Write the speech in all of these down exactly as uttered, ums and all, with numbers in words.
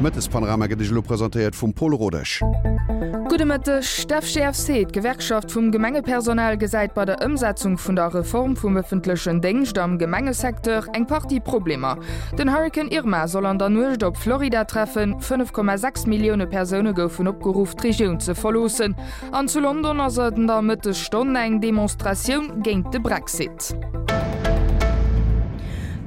De Mëttespanorama gëtt Iech elo presentéiert vum Paul Rodesch. Gudde Mëtteg. D'FGFC, d'Gewerkschaft vum Gemengepersonal, gesäit bei der Ëmsetzung vun der Reform vum ëffentlechen Déngscht am Gemengesecteur eng Partie Problemer. Den Hurrikan Irma soll an der Nuecht op Florida treffen. fënnef Komma sechs Millioune Persoune goufen opgeruff, d'Regioun ze verloossen. An zu London ass et an der Mëttesstonn eng Demonstratioun géint de Brexit.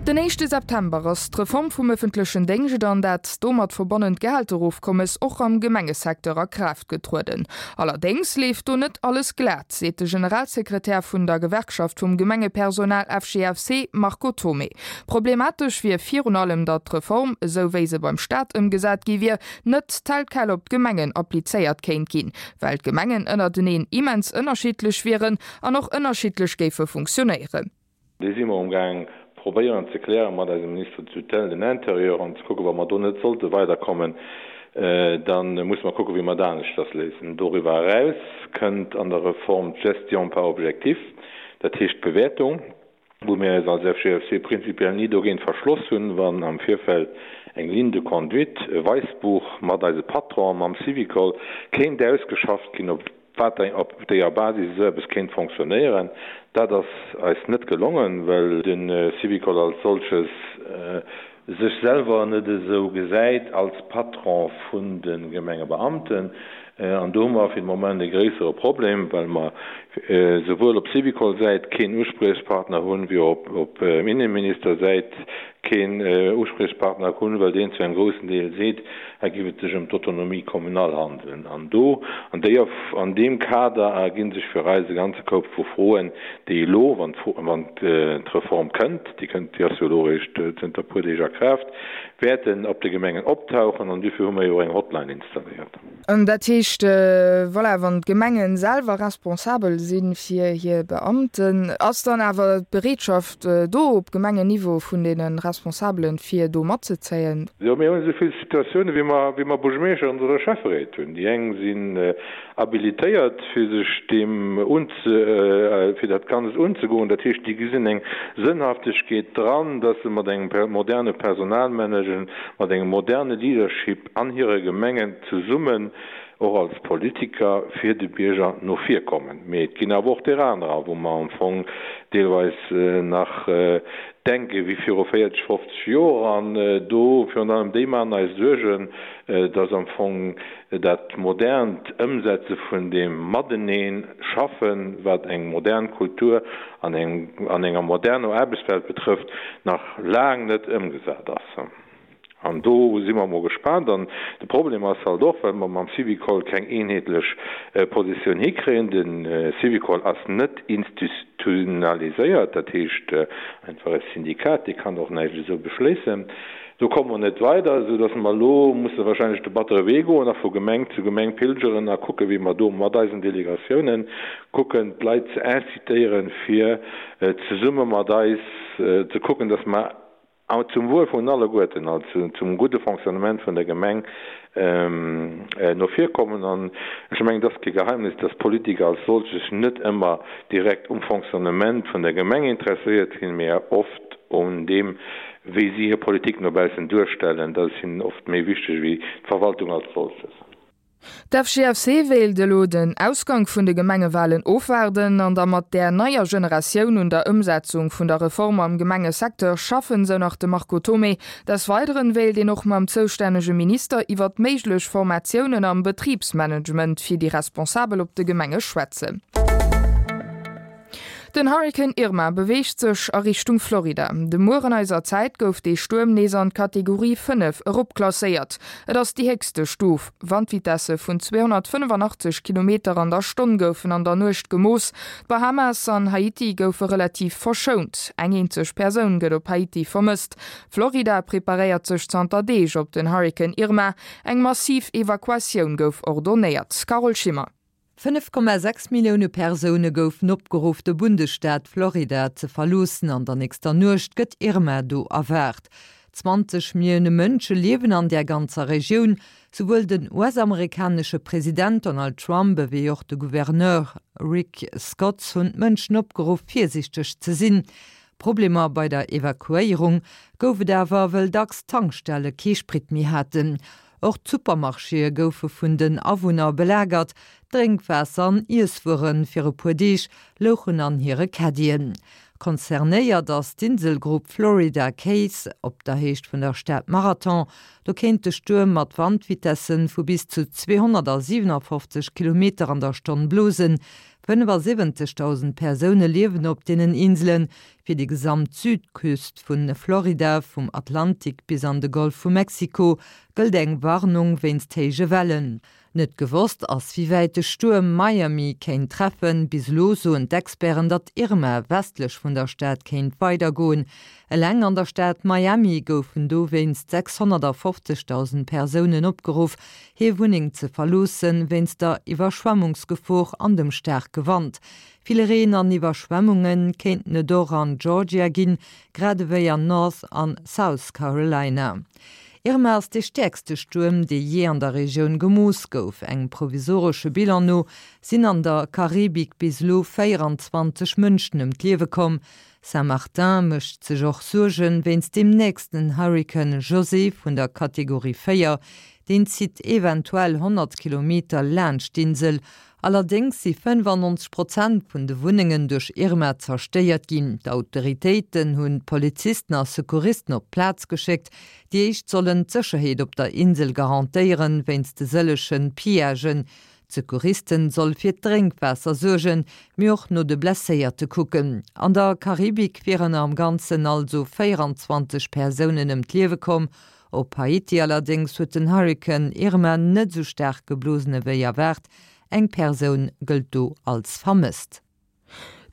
Den éischte September ass d'Reform vum ëffentlechen Déngscht an dat domat verbonnent Gehälterofkommes och am Gemengesecteur a Kraaft getrueden. Allerdéngs leeft do net alles glat, seet de Generalsekretär vun der Gewerkschaft vum Gemengepersonal F G F C Marco Thomé. Problematesch wier virun allem, datt d'Reform, esou wéi se beim Staat ëmgesat gi wier, net tel quel op d'Gemengen applizéiert kéint ginn, well d'Gemengen ënnerteneen immens ënnerschiddlech wieren an och ënnerschiddlech géife funktionéieren. Déi si mer amgaang probéieren ze klären mat eisem Ministre de tutelle, den Intérieur, an ze kucken, wa mer do net sollte weiderkommen, da musse mer kucken, wéi mer dat aneschters léisen. Doriwwer eraus kënnt an der Reform d'Gestion par objectifs, dat heescht d'Bewäertung, wou mir eis als F G F C prinzipiell ni dogéint verschloss hunn, wann am Virfeld eng Ligne de conduite, e Wäissbuch mat eise Patron, mam Syvicol kéint ausgeschafft ginn, op wat op deeër Basis esou eppes kéint fonctionnéieren. Dat ass eis net gelongen, well de Syvicol als solches sech selwer net esou gesäit als Patron vun de Gemengebeamten. An do hu mer fir de Moment e gréissere Problem, well mer souwuel op Syvicol-Säit keen Uspriechpartner hunn, wéi och op Innenminister-Säit keen Uspriechpartner hunn, well deen zu engem groussen Deel seet, hei géif et sech ëm d'Autonomie communale handelen. An do, an déier, an deem Kader erginn sech fir eis e ganze Koup vu Froen, déi elo, wann wann d'Reform kënnt, déi kënnt, déi ass jo elo eréischt zënter e puer Deeg a Kraaft, wäerten op de Gemengen optauchen. An duerfir hu mer jo och eng Hotline installéiert. An dat heescht, voilà, wann d'Gemengen selwer responsabel si fir hir Beamten, ass dann awer d'Bereetschaft do op Gemengenniveau vun deene Responsabelen, fir do matzezéien? Jo, mir hunn esou vill Situatioune wéi mer, wéi mer Buergermeeschteren oder Schäfferéit hunn. Déi eng sinn habilitéiert, fir sech deem unze, fir dat Ganzt unzegoen. Dat heescht, déi gesinn eng Sënnhaftegkeet dran, dass se mat engem moderne Personalmanagement, mat engem moderne Leadership an hire Gemengen zesummen och als Politiker fir de Bierger no vir kommen. Mee et ginn awer och där anerer, wou mer am Fong deelweis nach denke wéi viru véierzeg, fofzeg Joer. An do virun allem déi maachen eis Suergen, dass am Fong dat modernt Ëmsetze vun deem Matenee schaffen, wat eng modern Kultur an enger moderner Aarbechtswelt betrëfft, nach laang net ëmgesat ass. An do si mer mol gespaant. An de Problem ass halt och, well mer mam Syvicol keng eenheetlech Positioun hikréien, de Syvicol ass net institutionaliséiert, dat heescht einfach e Syndikat, dee kann och näischt esou beschléissen. Do komme mer net weider, esou datt mer elo musse wahrscheinlech de battere Wee goen a vu Gemeng zu Gemeng pilgeren a kucken, wéi mer do mat eisen Delegatiounen kucken, d'Leit ze incitéieren, fir zesumme mat eis ze kucken, datt mer zum Wuel vun alleguerten, also zum gudde Fonctionnement vun der Gemeng no vir kommen. An ech mengen, et ass kee Geheimnis, dass d'Politiker als solch sech net ëmmer direkt um Fonctionnement vun der Gemeng interesséiert sinn, mä oft un deem, wéi si hir Politik no baussen duerstellen. Dat ass hinnen oft méi wichteg wéi d'Verwaltung als solches. D'F G F C wéilt elo den Ausgang vun de Gemengewalen ofwaarden an da mat där neier Generatioun un der Ëmsetzung vun der Reform am Gemengesecteur schaffen, sou nach de Marco Thomé. Des Weideren wéilt een och mam zoustännege Minister iwwert méiglech Formatiounen am Betribsmanagement fir déi Responsabel op de Gemenge schwätzen. Den Hurrikan Irma beweegt sech a Richtung Florida. De Mueren eiser Zäit gouf dee Stuerm nees an d'Kategorie fënnef eropklasséiert. Et ass déi héchste Stuf. Wandvitesse vun zweehonnertfënnefanachteg Kilometer an der Stonn goufen an der Nuecht gemooss. D'Bahamas an Haiti goufe relativ verschount. Eng eenzeg Persoun gëtt op Haiti vermësst. Florida preparéiert sech zanter Deeg op den Hurrikan Irma. Eng massiv Evakuatioun gouf ordonéiert. Carole Schimmer. fënnef Komma sechs Millioune Persoune goufen opgeruff, de Bundesstaat Florida ze verloossen. An der nächster Nuecht gëtt Irma do erwaart. zwanzeg Millioune Mënsche liewen an der ganzer Regioun. Souwuel den U S-amerikanesche President Donald Trump ewéi och de Gouverneur Rick Scott hunn d'Mënschen opgeruff, virsiichteg ze sinn. Problemer bei der Evakuéierung gouf et awer, well dacks Tankstelle kee Sprit méi haten. Och d'Supermarchéë goufe vun den Awunner belagert, Drénkwaasser an Iesswuere fir e puer Deeg louchen an hire Caddien. Concernéiert ass d'Inselgrupp Florida Keys op der Héicht vun der Stad Marathon. Do kéint de Stuerm mat Wandvitessen vu bis zu zweehonnertsiwenafofzeg Kilometer an der Stonn blosen. fënnefasiwwenzegdausend Persoune liewen op deenen Inselen. Fir déi gesamt Südküst vu Florida, vum Atlantik bis an de Golf vu Mexiko, gëllt eng Warnung wéinst héije Wellen. Net gewosst ass, wéi wäit de Stuerm Miami kéint treffen. Bis elo soen d'Experten, datt Irma westlech vun der Stad kéint weidergoen. Eleng an der Stad Miami goufen dowéinst sechshonnertfofzegdausend Persounen opgeruff, hir Wunneng ze verloossen, wéinst der Iwwerschwemmungsgefor an dem staarke Wand. Vill Reen an Iwwerschwemmunge kéinten et och an Georgia ginn, grad ewéi an North an South Carolina. Irma ass dee stäerkste Stuerm, dee jee an der Regioun gemooss gouf. Engem provisoresche Bilan no sinn an der Karibik bis elo véieranzwanzeg Mënschen ëm d'Liewe komm. Saint-Martin mécht sech och Suerge wéinst dem nächsten Hurrikan José vun der Kategorie véier. Deen zitt eventuell honnert Kilometer laanscht d'Insel. Allerdéngs si fënnefannonzeg Prozent vun de Wunnengen duerch Irma zerstéiert ginn. D'Autoritéiten hunn Polizisten a Secouristen op d'Plaz geschéckt. Déi éischt sollen d'Sécherheet op der Insel garantéieren, wéinst de sëllege Pillagen. D'Secouristen solle fir d'Drénkwaasser suergen, mee och no de Blesséierte kucken. An der Karibik wieren am Ganzen also véieranzwanzeg Persounen ëm d'Liewe komm. Op Haiti allerdéngs huet den Hurrikan Irma net esou staark geblosen ewéi erwaart. Eng Persoun gëllt do als vermësst.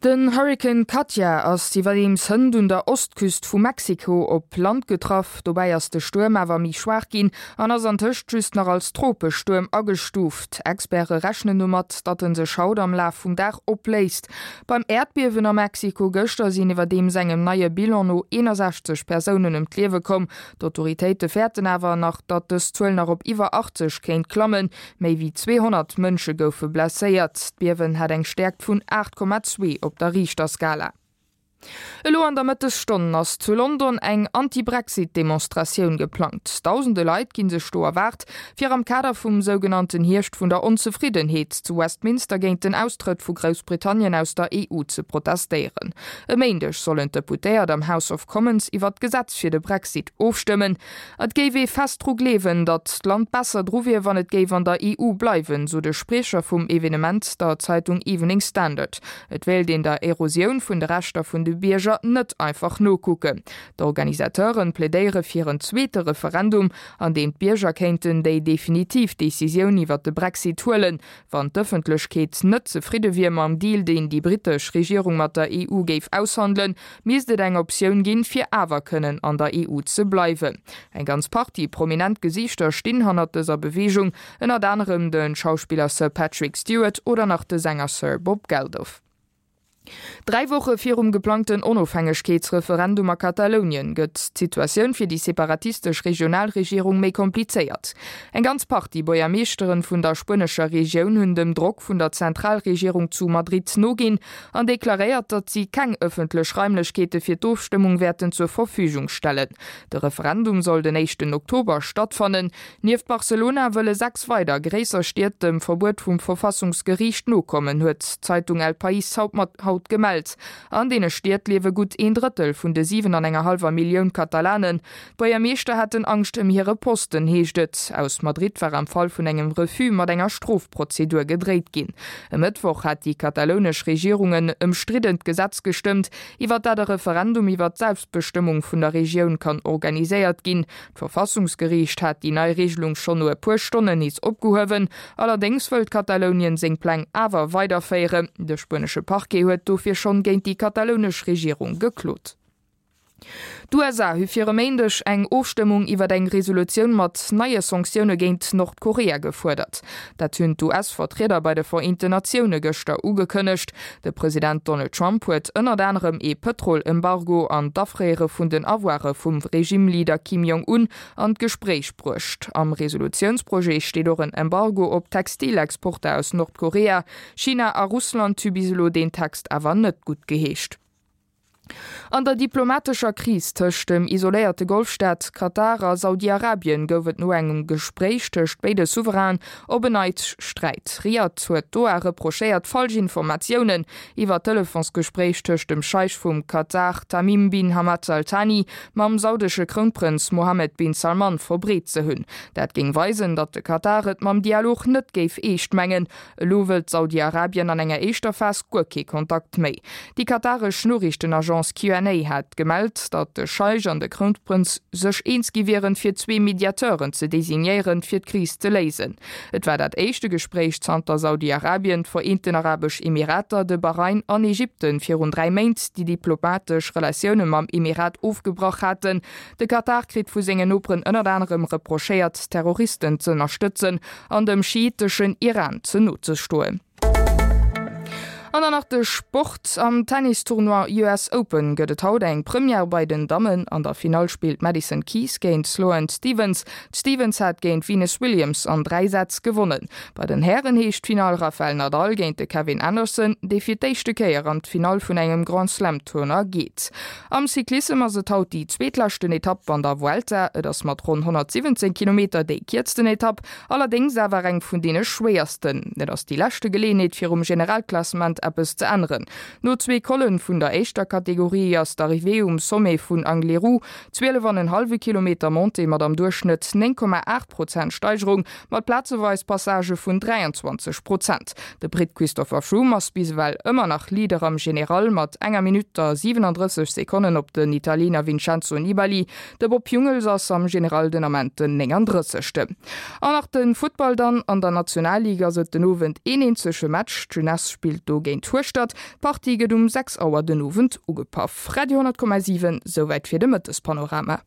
Den Hurrikan Katia ass iwwerdeems hënt un der Ostküst vu Mexiko op Land getraff. Dobäi ass de Stuerm awer méi schwaach ginn an ass antëscht just nach als Tropestuerm agestuuft. Experte rechnen domat, datt en sech haut am Laf vum Dag opléist. Beim Äerdbiewen a Mexiko gëschter sinn iwwerdeems engem neie Bilan no eenasechzeg Persounen ëm d'Liewe komm. D'Autoritéite fäerten awer nach, datt dës Zuel nach op iwwer achtzeg kéint klammen. Méi wéi zweehonnert Mënsche goufe blesséiert. D'Biewen hat eng Stäerkt vun aacht Komma zwee op der Richterskala. Elo an der Mëttesstonn ass zu London eng Anti-Brexit-Demonstratioun geplangt. Dausende Leit ginn sech do erwaart, fir am Kader vum sougenannten Hierscht vun der Onzefriddenheet zu Westminster géint den Austrëtt vu Groussbritannien aus der E U ze protestéieren. E Méindeg sollen d'Deputéiert am House of Commons iwwer d'Gesetz fir de Brexit ofstëmmen. Et géif ee fest dru gleewen, datt d'Land besser dru wier, wann et géif an der E U bleiwen, sou de Spriecher vum Evenement der Zeitung Evening Standard. Et wéilt een der Erosioun vun de Rechter vun de Bierger net einfach nokucken. D'Organisateuren plädéiere fir en zweete Referendum, an deem d'Bierger kéinten déi definitiv Decisioun iwwer de Brexit huelen. Wann d'Ëffentlechkeet net zefridde wier mam Deal, deen déi brittesch Regierung mat der E U géif aushandelen, misst et eng Optioun ginn, fir awer kënnen an der E U ze bleiwen. Eng ganz Partie prominent Gesiichter stinn hannert dëser Beweegung, ënnert anerem de Schauspiller Sir Patrick Stewart oder nach de Sänger Sir Bob Geldof. Dräi Woche virum geplangten Onofhängegkeetsreferendum a Katalounien gëtt d'Situatioun fir déi separatistesch Regionalregierung méi komplizéiert. Eng ganz Partie Buergermeeschteren vun der spuenescher Regioun hunn dem Drock vun der Zentralregierung zu Madrid noginn an deklaréiert, datt si keng ëffentlech Raimlechkeete fir d'Ofstëmmung wäerten zur Verfügung stellen. De Referendum soll den éischten Oktober stattfannen. Nieft Barcelona wëlle sechs weider gréisser Stied dem Verbuet vum Verfassungsgeriicht nokommen, huet d'Zeitung El País haut gemellt. An deene Stied liewe gutt een Drëttel vun de siwen an enger hallwer Millioun Katalanen. D'Buergermeeschter hätten Angscht ëm hire Posten, heescht et. Aus Madrid war am Fall vun engem Refus mat enger Strofprozedur gedréit ginn. E Mëttwoch hat déi katalounesch Regierung en ëmstriddent Gesetz gestëmmt, iwwer dat e Referendum iwwer d'Selbstbestëmmung vun der Regioun kann organiséiert ginn. D'Verfassungsgeriicht hat déi nei Regelung schonn no e puer Stonnen nees opgehuewen. Allerdéngs wëllt Katalounien seng Pläng awer weiderféieren. De spuenesche Parquet huet dofir schonn géint déi katalounesch Regierung geklot. D'U S A hu fir e Méindeg eng Ofstëmmung iwwer eng Resolutioun mat neie Sanktioune géint Nordkorea gefuerdert. Dat hunn d'U S-Vertrieder bei de Vereenten Natioune gëschter ugekënnegt. De President Donald Trump huet ënnert anerem ee Pëtrol-Embargo an d'Afréiere vun den Avoire vum Regime-Leader Kim Jong-un an d'Gespréich bruecht. Am Resolutiounsprojet steet och en Embargo op Textilexporter aus Nordkorea. China a Russland hu bis elo deen Text awer net guttgeheescht. An der diplomatescher Kris tëscht dem isoléierte Golfstaat Katar a Saudi-Arabien gouf et no engem Gespréich tëscht béide Souverainen op en Neits Sträit. Riad huet Doha reprochéiert, falsch Informatiounen iwwer d'Telefonsgespréich tëscht dem Scheich vum Katar Tamim bin Hamad Al Thani mam saudesche Krounprënz Mohammed bin Salman verbreet ze hunn. Dat géing weisen, datt de Katar et mam Dialog net géif eescht mengen. Elo wëllt Saudi-Arabien an enger éischter Phas guer kee Kontakt méi. Déi kataresch Noriichtenagence Q N A hat gemellt, datt de Scheich an de Krounprënz sech eens gi wieren, fir zwee Mediateuren ze designéieren, fir d'Kris ze léisen. Et war dat éischte Gespréich zanter Saudi-Arabien, d'Vereenten Arabesch Emirater, de Bahrain an Ägypten virun dräi Méint déi diplomatesch Relatioune mam Emirat ofgebrach haten. De Katar kritt vu sengen Noperen ënnert anerem reprochéiert, Terroristen z'ënnerstëtzen an dem schiiteschen Iran ze no ze stoen. An dann nach de Sport, Am Tennis-Tournoi U S Open gëtt et haut eng Première bei den Dammen. An der Finall spillt d'Madison Keys géint d'Sloane Stephens. D'Stephens hat géint d'Venus Williams an dräi Sätz gewonnen. Bei den Hären heescht d'Finall Rafael Nadal géint de Kevin Anderson, dee fir d'éischte Kéier an d'Finall vun engem Grand-Slam-Tournoi geet. Am Cyclissem ass et haut déi zweetleschten Etapp an der Vuelta. Et ass mat ronn honnertsiwwenzéng Kilometer déi kierzten Etapp, allerdéngs awer eng vun deene schwéiersten. Et ass déi leschte Geleeënheet fir um Generalklassement eppes ze änneren. No zwee Collen vun der éischter Kategorie ass d'Arrivée um Sommet vun Angliru, zwielef an en hallwe Kilometer Montée mat am Duerchschnëtt néng Komma aacht Prozent Steigerung, mat plazeweis Passagë vun dräianzwanzeg Prozent. De Britt Christopher Froome ass bis ewell ëmmer nach Leader am General mat enger Minutt a siwelandrësseg Sekonnen op den Italiener Vincenzo Nibali. De Bob Jungels ass am General den Ament den néngandrëssegsten. An nach de Futtball dann, An der Nationalliga ass et den Owend een eenzege Match, D'Jeunesse spillt do géint Hueschtert. D'Partie gëtt um sechs Auer den Owend ugepaff. Radio honnert Komma siwen, Souwäit fir de Mëttespanorama.